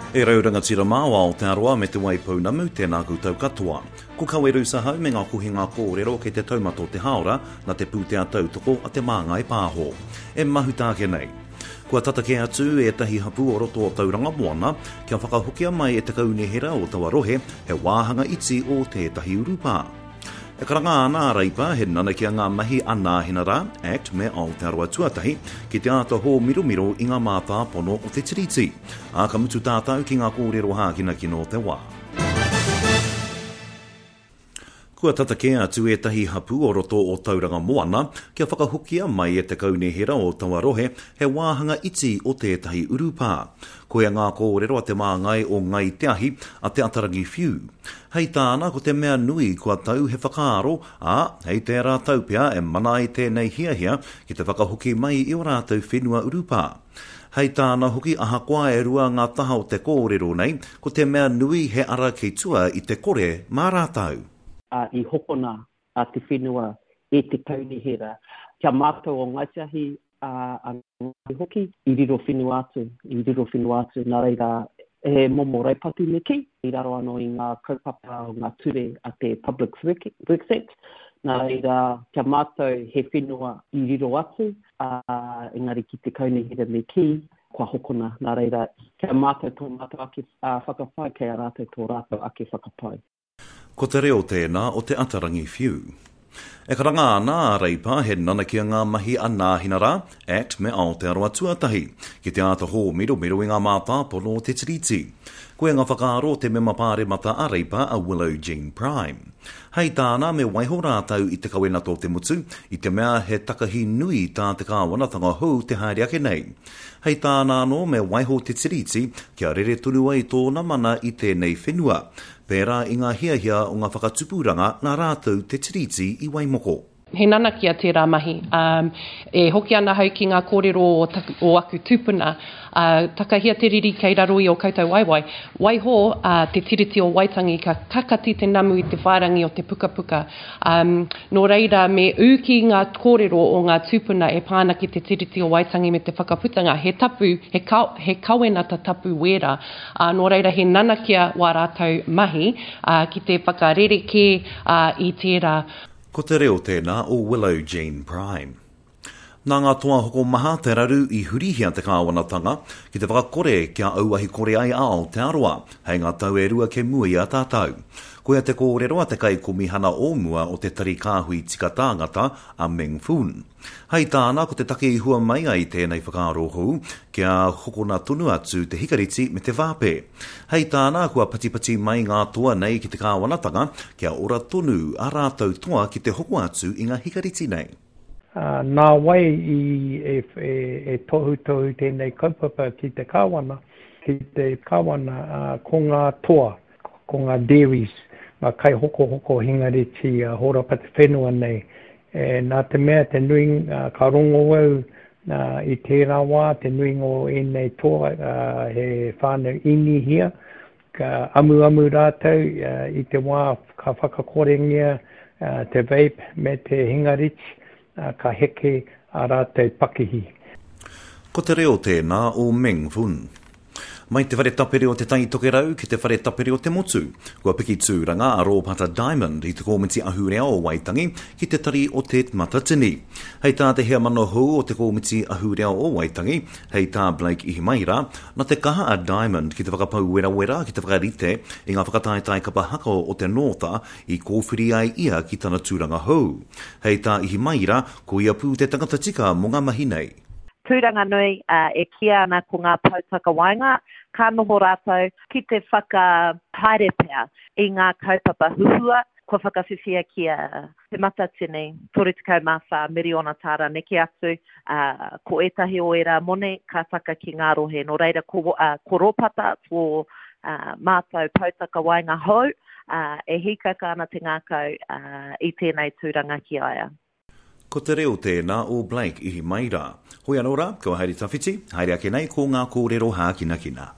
E rau rangatira mā o Aotearoa me Te Waipounamu, tēnā koutou katoa. Ko Kawe Rusa hau me ngā kohinga kōrero kei te taumata o te hāora nā te pūtea tautoko a Te Māngai Pāho. E mahuta ake nei. Kua tata kē atu ētahi hapū o roto o Tauranga Moana kia whakahokia mai e te kaunihera o taua rohe he wāhanga iti o tētahi urupā. E karanga ana a Reipa he nanakia ngā mahi a Nāhinara, Act me Aotearoa Tuatahi ki te āta hōmiromiro i ngā mātāpono o te Tiriti. Ā, ka mutu tātou ki ngā kōrero hākinakina o te wā. Kua tata kē atu ētahi hapū o roto o Tauranga Moana kia whakahokia mai e te kaunihera o taua rohe he wāhanga iti o tētahi urupā. Koia ngā kōrero a te māngai o Ngāi Te Ahi, a Te Atarangi Whiu. Hei tāna, ko te mea nui kua tau he whakaaro, ā, hei tērā tau pea e mana ai tēnei hiahia ki te whakahoki mai i ō rātou whenua urupā. Hei tāna hoki ahakoa e rua ngā taha o te kōrero nei, ko te mea nui he ara kei tua i te kore mā rātou. Ā, i hokona te whenua e te kaunihera. Kia mātou o Ngāi Te Ahi, ā, a Ngāi hoki, i riro whenua atu, i riro whenua atu, nā reira, he momo raupatu me kī, i raro anō i ngā kaupapa o ngā ture a te Public Works Act, nā reira, kia mātou he whenua i riro atu, ā, engari ki te kaunihera me kī, kua hokona, nā reira, kia mātou tō mātou ake whakapae, kei a rātou tō rātou ake whakapae. Ko te reo tēnā o Te Atarangi Whiu. E karanga ana a Reipa he nanakia ngā mahi a Nāhinara, Act me Aotearoa Tuatahi, ki te āta hōmiromiro i ngā mātāpono o te Tiriti. Koia ngā whakaaro o te mema pāremata a Reipa a Willow Jean Prime. Hei tāna me waiho rātou i te kawenata o te motu, i te mea he takahi nui tā te kāwanatanga hou te haere ake nei. Hei tāna anō me waiho te Tiriti kia rere tonu ai tōna mana i tēnei whenua, pērā i ngā hiahia o ngā whakatupuranga nā rātou te Tiriti i Waimoko. He nanakia tērā mahi. E hoki ana ahau ki ngā kōrero o taku, o aku tūpuna, ā, takahia te riri kei raro i ō koutou waewae. Waiho, ā, te Tiriti o Waitangi ka kakati te namu i te whārangi o te pukapuka. Ā, nō reira, me ū ki ngā kōrero o ngā tūpuna e pā ana ki te Tiriti o Waitangi me te whakaputanga, he tapu, he ka, he kawenata tapu wērā. Ā, nō reira he nanakia wā rātou mahi, ā, ki te whakarerekē, ā, i tērā. Ko te reo tēnā o Willow Jean Prime. Nā ngā toa hokomaha te raru i hurihia te kāwanatanga ki te whakakore kia auahi kore ai a Aotearoa hei ngā tau e rua kei mua i a tātou. Koia te kōrero a te Kaikomihana o mua o te Tari Kāhui Tika Tāngata, a Meng Foon. Hei tāna, ko te take i hua mai ai tēnei whakaaro hou, kia hokona tonu atu te hikareti me te vāpe. Hei tāna, kua patipati mai ngā toa nei ki te kāwanatanga, kia ora tonu ā rātou toa ki te hoko atu i ngā hikareti nei. Ā, nā wai i e tohutohu tēnei kaupapa ki te kāwana, ki te kāwana, ā, ko ngā toa, ko ngā dairies, ngā kaihokohoko hingareti horapa te whenua nei, E, nā te mea te nuinga, ka rongo au i tērā wā, te nuinga o ēnei toa he whānau inihia, ka amuamu rātou i te wā ka whakakorengia te vape me te hingariti, ka heke ā rātou pakihi. Ko te reo tēnā o Meng Fun. Mai te whare tapere o Te Tai Tokerau ki te whare tapere o te motu, kua piki tūranga a Rōpata Diamond i te Kōmiti Ahurea o Waitangi ki te tari o Te Matatini. Hei tā te heamana hou o te Kōmiti Ahurea o Waitangi, hei tā Blake Ihimaera, na te kaha a Diamond ki te whakapau werawera ki te whakarite i ngā whakataetae kapa haka o te Nōta i kōwhiri ai ia ki tana tūranga hou. Hei tā Ihimaera, ko ia pū te tangata tika mō ngā mahi nei. Tūranga nui, ā, e kīia ana ko ngā pou takawaenga, ka noho rātou ki te whakahaere pea i ngā kaupapa huhua kua whakawhiwhia ki a Te Matatini, 34 miriona tāra neke atu, ā, ko ētahi o ērā moni ka taka ki ngā rohe. Nō reira, ko, ā, ko Rōpata tō, ā, mātou pou takawaenga hou, ā, e hīkaka ana te ngākau, ā, i tēnei tūranga ki a ia. Ko te reo tēnā o Blake Ihimaera. Hoi anō rā, kua haere tawhiti, haere ake nei ko ngā kōrero hākinakina.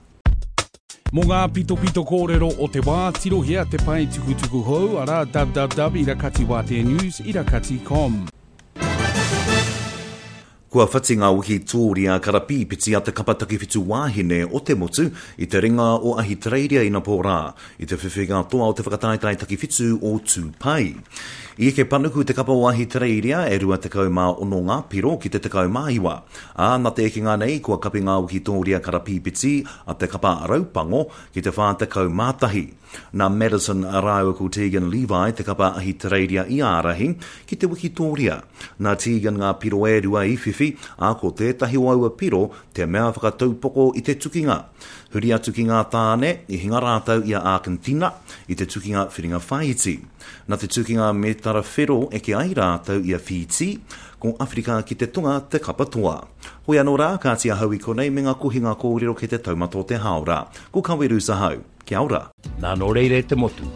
Mō ngā pitopito kōrero o te wā, tirohia te pae tukutuku hou, arā, www irakatiwāteanews irakati com. Kua whati ngā wikitōria karapīpiti a te kapa takiwhitu wāhine o te motu i te ringa o Ahitereiria inapō rā, i te whiwhinga toa o te whakataetae takiwhitu o Tū Pai. I eke panuku te kapa o Ahitereiria e 26 ngā piro ki te 19, ā, nā te ekenga nei kua kapi ngā wikitōria karapīpiti a te kapa Raupango ki te 41. Nā Maddison rāua ko Tegan Levi te kapa Ahitereiria i ārahi ki te wikitōria. Nā Tegan ngā piro e rua i whiwhi, ā, ko tētahi o aua piro te mea whakataupoko i te tukinga. Huri atu ki ngā tāne, i hinga rātou i a Ākentina i te tukinga whiringa whāiti. Nā te tukinga mētara whero eke ai rātou i a Whītī, ko Awherika ki te Tonga te kapa toa. Hoi anō rā, kāti ahau i konei me ngā kohinga kōrero kei te taumata o te hāora. Ko Kawerusa hau. Kia ora. Nā nō reira e te motu,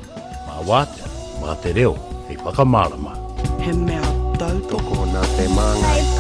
mā wātea, mā te reo hei whakamārama. He mea tautoko. Tokona te māngai.